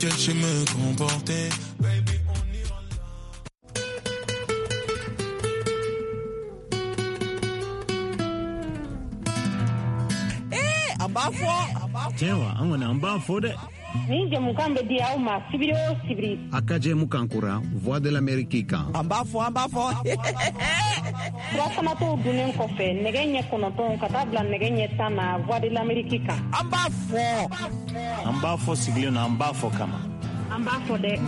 T'inquiète, je sais me comporter. Baby, on ira là. A b'a fɔ. Tiɲɛ wa, an kɔni an b'a fɔ dɛ. Nin jɛmukan bɛ di aw ma sibiri o sibiri. A ka jɛmukan kura Voix de l'Amérique kan. An b'a fɔ, an b'a fɔ. Surafanatɔw dunnen kɔfɛ nɛgɛ ɲɛ 9 ka taa bila nɛgɛ ɲɛ 10 na Voix de l'Amérique kan. An b'a fɔ. An b'a fɔ sigilen na, an b'a fɔ kama. An b'a fɔ dɛ.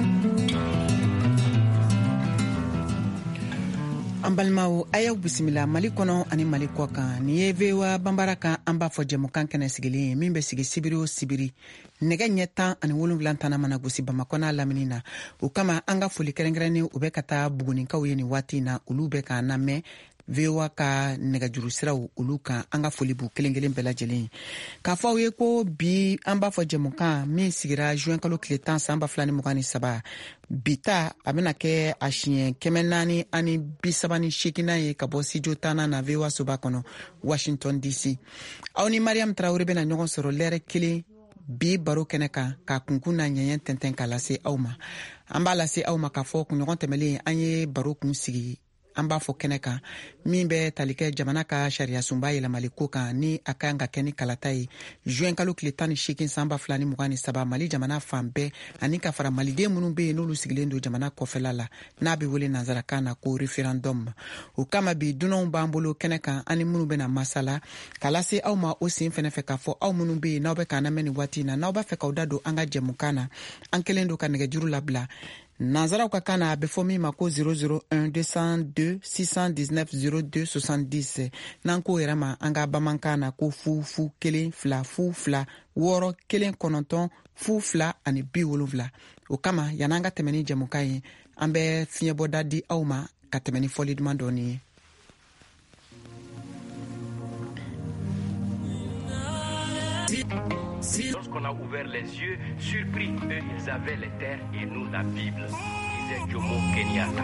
An balimaw, a y'aw bisimila Mali kɔnɔ ani Mali kɔ kan. Nin ye VOA Banbara kan an b'a fɔ jɛmukan kɛnɛ sigilen ye min bɛ sigi sibiri o sibiri nɛgɛ ɲɛ 17 tana mana gosi Bamakɔ n'a lamini na. O kama an ka foli kɛrɛnkɛrɛnnen o bɛ ka taa Buguninkaw ye nin waati in na, olu bɛ k'an lamɛn VOA ka nɛgɛjuru siraw olu kan. An ka foli b'u kelen kelen bɛɛ lajɛlen ye. K'a fɔ aw ye ko bi an b'a fɔ jɛmukan min sigira juin kalo tile 10 san 2023, bi ta a bɛna kɛ a siɲɛ 438nan ye ka bɔ studio tannan na VOA soba kɔnɔ Washington DC. Aw ni Mariam Tarawele bɛna ɲɔgɔn sɔrɔ lɛrɛ kelen bi baro kɛnɛ kan ka kunkun na ɲɛɲɛ tɛntɛn k'a lase aw ma. An b'a lase aw ma k'a fɔ kunɲɔgɔn tɛmɛlen an ye baro kun sigi an b'a fɔ kɛnɛ kan min bɛ tali kɛ jamana ka sariyasunba yɛlɛmali ko kan, ni a kan ka kɛ ni kalata ye juin kalo tile 18 san 2023 Mali jamana fan bɛɛ, ani ka fara maliden minnu bɛ yen n'olu sigilen don jamana kɔfɛla la, n'a bɛ wele nansarakan na ko référendum. O kama bi dunanw b'an bolo kɛnɛ kan, ani minnu bɛna masala k'a lase aw ma. O sen fɛnɛ fɛ k'a fɔ aw minnu bɛ yen n'aw bɛ k'an lamɛn nin waati in na, n'aw b'a fɛ k'aw da don an ka jɛmukan na, an kɛlen don ka nɛgɛjuru labila nanzaraw ka kan na, a bɛ fɔ min ma ko 001 202 619 02 70. N'an k'o yɛrɛ ma an ka bamanankan na ko 0 0 1 2 0 2 6 1 9 0 2 ani 70. O kama yan'an ka tɛmɛ ni jɛmukan ye, an bɛ fiɲɛbɔda di aw ma ka tɛmɛ ni fɔli duman dɔɔni ye. Lorsqu'on a ouvert les yeux, surpris, eux, ils avaient les terres et nous la Bible, disait Jomo Kenyatta.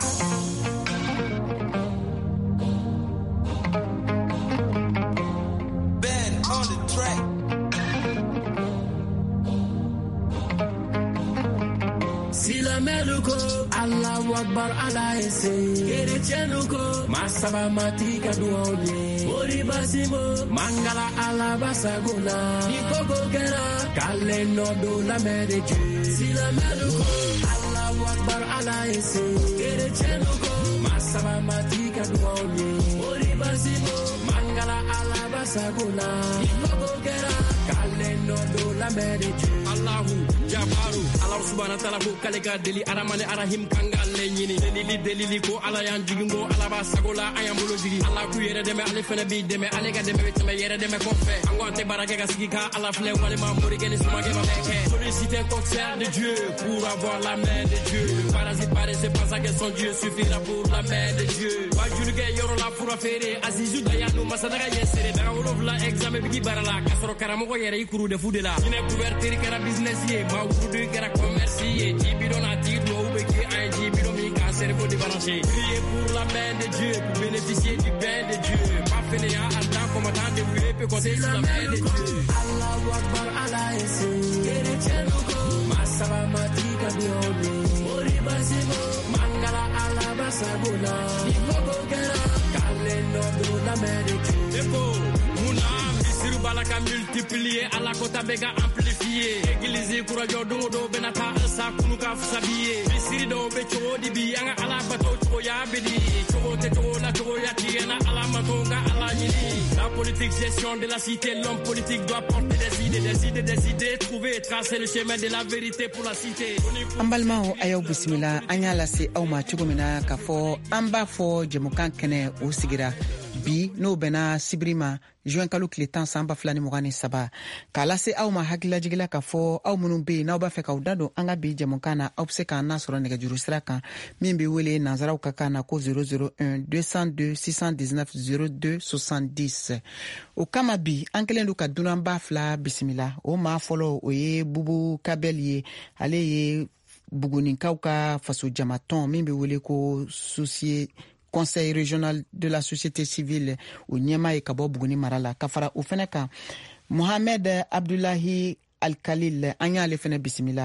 Ben on the track. Silamɛlu ko Allahu Akbar, Ala ye se. Kerecɛnu ko masaba matigi ka duwaw ye. Mori basimo mangala Ala basago la. Ni koko kɛra k'ale nɔ don la main de Dieu. Silamɛlu ko Allahu Akbar, Ala ye se. Kerecɛnu ko masaba matigi ka duwaw ye. Mori basimo mangala Ala basago la. Ni koko kɛra k'ale nɔ don la main de Dieu. Allahu Jabaru, Ala subhana taala ko k'ale ka deli Aramani Arahim kan k'ale ɲini. Delili delili ko Ala y'an jigin, ko Ala b'a sago la, an y'an bolo jigin. Ala k'u yɛrɛ dɛmɛ, ale fɛnɛ b'i dɛmɛ, ale ka dɛmɛ bɛ tɛmɛ yɛrɛ dɛmɛ kɔfɛ. An ko an tɛ baara kɛ ka sigi ka Ala filɛ, walima morikɛ ni sumakɛ ma bɛɛ kɛ. Solliciter concert de Dieu pour avoir la main de Dieu. Le parasite paresseux pense que son Dieu suffira pour la main de Dieu. Wajulikɛ yɔrɔ la fura feere, Azizu Dayanu masadaga ye seere. Daga 7 examen bigi baara la, k'a sɔrɔ karamɔgɔ yɛrɛ i kuru de fu de la. Jinɛ couverture kɛra business ye, maa wurudu kɛra commerce ye. Ji bidon n'a tigi duwawu bɛ kɛ an ye ji bidon min k'an cerveau débranché. Prier pour la main de Dieu, pour bénéficier du bain de Dieu. Pas fainéant, en tant combattant débrouillé peut compter sur la main de Dieu. Allahu Akbar, Ala ye se. Kerecɛnu ko masaba matigi ka duwawu ye. Mori basimo mangala Ala basago la. Ni koko kɛra k'ale nɔ don la main de Dieu. Eko munna misiri b'a la ka multiplier, Ala kota bɛ ka amplifier. Église kura jɔ don o don bɛna taa sa kunu ka fisa bi ye. Misiri dɔw bɛ cogo di bi, an ka Ala bato cogoya bɛ di. Cogo tɛ cogo la, cogoya ti na Ala mato ka Ala ɲini. La politique, gestion de la cité, l'homme politique doit porter des idées, des idées, des idées, trouver, tracer le chemin de la vérité pour la cité. An balimaw, a y'aw bisimila. An y'a lase aw ma cogo min na k'a fɔ an b'a fɔ jɛmukan kɛnɛ o sigira bi, n'o bɛnna sibiri ma juin kalo tile 10 san 2023, k'a lase aw ma hakililajigila k'a fɔ aw minnu bɛ yen n'aw b'a fɛ k'aw da don an ka bi jɛmukan na, aw bɛ se k'an nasɔrɔ nɛgɛjuru sira kan min bɛ wele nanzaraw ka kan na ko 001 202 619 02 70. O kama bi an kɛlen don ka dunanba fila bisimila. O maa fɔlɔ, o ye Bubu Kabɛl ye. Ale ye Buguninkaw ka fasojamatɔn min bɛ wele ko Conseil régional de la société civile, o ɲɛmaa ye ka bɔ Buguni mara la. Ka fara o fɛnɛ kan, Mohamed Abdulahi Alkalil, an y'ale fɛnɛ bisimila.